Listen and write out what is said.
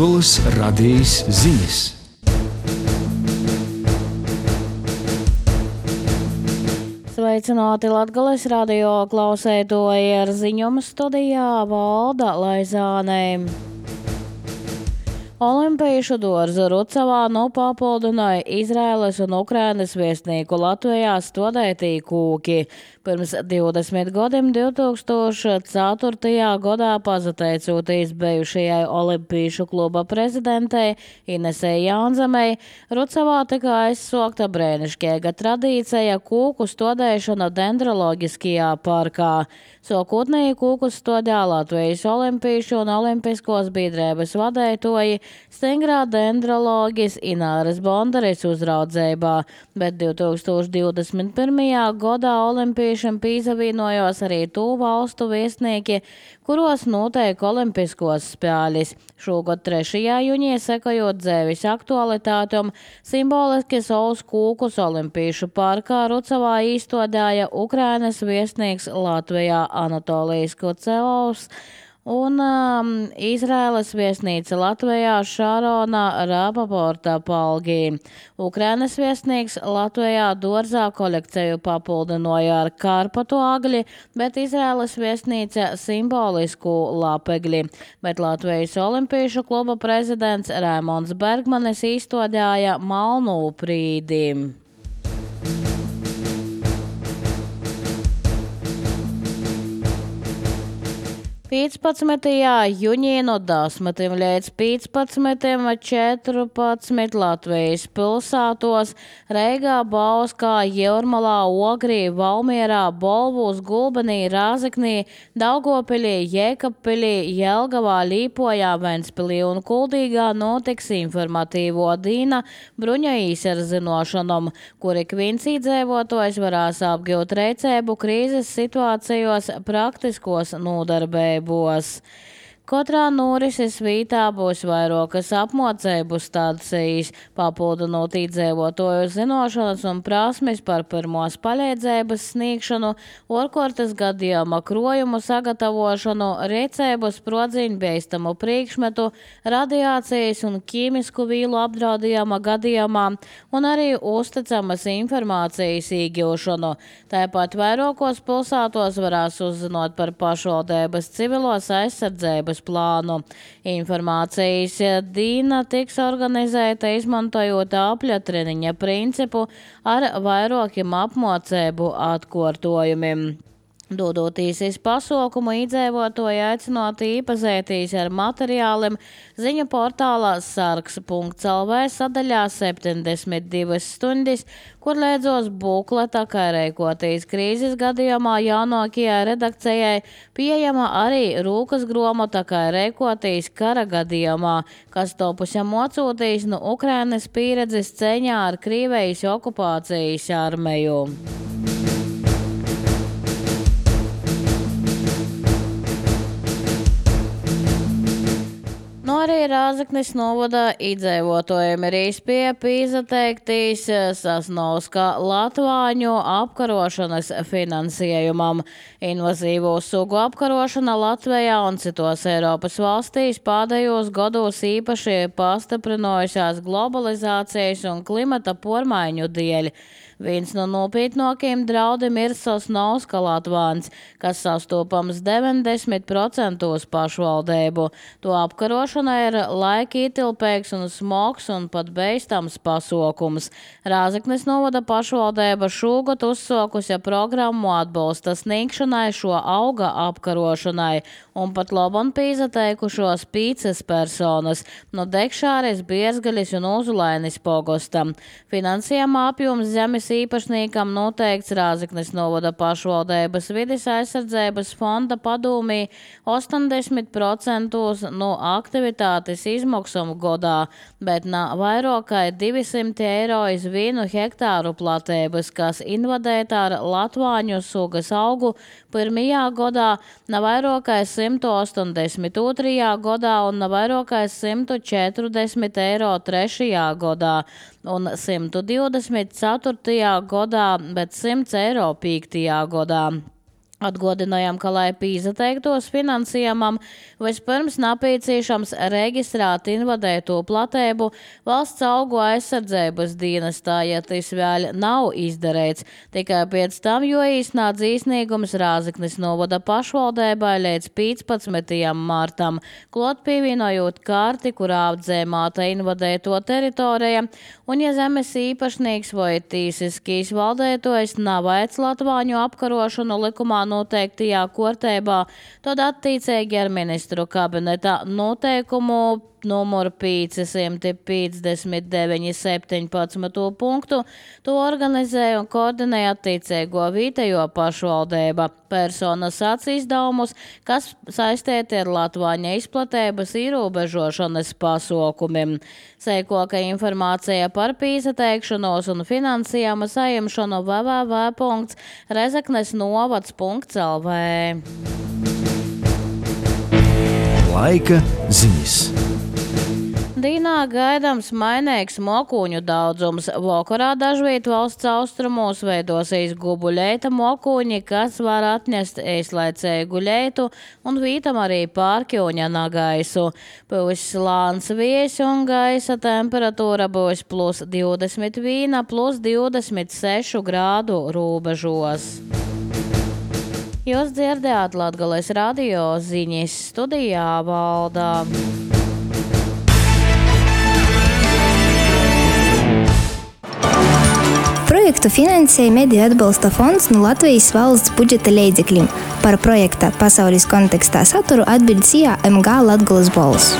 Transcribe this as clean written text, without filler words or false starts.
Latgoles radijas ziņas. Sveicināti Latgoles radio klausētoji, ar ziņojumu studijā Valda Laizāne. Olimpiešu dārza Rucavā papildināja Izraēlas un Ukrainas viesnīku Latvijā stādītī kūki. Pirms 20 gadiem 2004. gadā pateicoties bijušajai Olimpiešu kluba prezidentei Inesei Jānzemei, Rucavā tika aizsākta brēnišķīga tradīcija kūku stādīšana dendroloģiskajā parkā. Sākotnēji kūku stādīja Latvijas Olimpiešu un Olimpiskos biedrības vadītāji Stingrā dendroloģis Ināras Bondaris uzraudzībā, bet 2021. gadā olimpiešiem pīsavienojos arī tū valstu viesnieki, kuros notiek olimpiskos spēļas. Šogad 3. jūnijā sekojot dzēvis aktualitātam, simboliski savus kūkus Olimpiešu parkā Rucavā izstādīja Ukrainas viesnieks Latvijā Anatolijas Kocelovs un Izraēlas viesnīca Latvijā Šarona Rapaporta Palgī. Ukrainas viesnīgs Latvijā dārzā kolekciju papildināja ar karpatu agli, bet Izraēlas viesnīca simbolisku lapegli. Bet Latvijas Olimpiešu kluba prezidents Raimonds Bergmanis izstādīja malnu prīdi. 15. jūnijā no 10 līdz 15.14 Latvijas pilsētos Reigā, Bauskā, Jūrmalā, Ogrī, Valmierā, Bolvūs, Gulbenī, Rāzeknī, Daugavpilī, Jēkabpilī, Jelgavā, Līpojā, Ventspilī un Kuldīgā notiks informatīvo dīna bruņa īsarzinošanom, kur ik viens iedzīvotājs varēs apgūt reicēbu krīzes situācijos praktiskos nodarbējumus. Katrā norises vītā būs vairākas apmācību stācijas, papildinot iedzīvotāju zināšanas un prasmes par pirmos palīdzības sniegšanu, ārkārtas gadījuma krojumu sagatavošanu, rīcību sprodziņu bīstamu priekšmetu, radiācijas un ķīmisku vīlu apdraudījuma gadījumā un arī uzticamas informācijas iegūšanu. Tāpat vairākos pilsētos varēs uzzināt par pašvaldības civilos aizsardzības plānu. Informācijas dīna tiks organizēta izmantojot apļa treniņa principu ar vairākiem apmācību atkārtojumiem. Dodoties iz pasaukumu, iedzīvotāji aicināti iepazīties ar materiāliem ziņu portālā sargs.lv sadaļā 72 stundas, kur liedzos bukleta, kā rīkoties krīzes gadījumā jaunākajai redakcijai, pieejama arī rūkas gromota, kā rīkoties kara gadījumā, kas topusi mocūtīs no Ukrainas pieredzes cīņā ar Krievijas okupācijas armiju. Arī Rāzeknes novada iedzīvotājiem ir īspēja pīzateiktīs Sasnovska latvāņu apkarošanas finansējumam. Invazīvo sugu apkarošana Latvijā un citos Eiropas valstīs pēdējos gados īpaši pastiprinājušās globalizācijas un klimata pormaiņu dēļ. Viens no nopietnākajiem draudiem ir Sasnovska latvāns, kas sastopams 90% pašvaldību. To apkarošana ir laika ietilpīgs un smogs un pat beistams pasākums. Rāzeknes novada pašvaldība šogad uzsākusi programmu atbalsta sniegšanai šo auga apkarošanai un pat labam pīzateikušos 5 personas no Dekšāres, Biezgaļas un Uzulainis pogostam. Finansējuma apjoms zemes īpašniekam noteikts Rāzeknes novada pašvaldības vides aizsardzības fonda padūmī 80% no aktivitātes izmaksām gadā, bet vairāk kā 200 eiro iz 1 hektāru platības, kas invadēta ar latvāņu sugas augu pirmajā gadā, vairāk kā 182. gadā un vairāk kā 140 eiro 3. gadā un 124. gadā, bet 100 eiro 5. gadā. Atgādinājām, ka, lai pīzateiktos finansējumam, vispirms nepieciešams reģistrēt invadēto platību valsts augu aizsardzības dienestā, ja tas vēl nav izdarīts. Tikai pēc tam, jo īsnāts īsnīgums Rāzaknis novada pašvaldībai līdz 15. martam, klot pievienojot karti, kurā apdzēmāta invadēto teritorija, un ja zemes īpašnieks vai tīsiskīs valdētojs nav veic latvāņu apkarošanu likumā noteiktajā kārtībā, tad attiecīgi ar ministru kabineta noteikumu numuru 559/17 punktu to organizē un koordinē attiecīgo vietējo pašvaldība. Personas izdevumus, kas saistīti ar latvāņa izplatības ierobežošanas pasākumiem. Seikoka informācija par pīzateikšanos un finansējuma saņemšanu www.rezeknesnovads.lv. Laika ziņas. Dīnā gaidāms mainīgs mokuņu daudzums. Vakarā dažviet valsts austrumos veidosies gubuļeita mokuņi, kas var atnest īslaicēju guļeitu un vītam arī pārkjoņa nagaisu. Būs lāns vies un gaisa temperatūra būs +21, +26 grādu robežos. Jūs dzirdējāt Latgales radio ziņas, studijā Valdā. Projektu finansēja Mediju atbalsta fonds no Latvijas valsts budžeta līdzekļiem. Par projekta pasaules kontekstā saturu atbild CIA MG Latgales balss.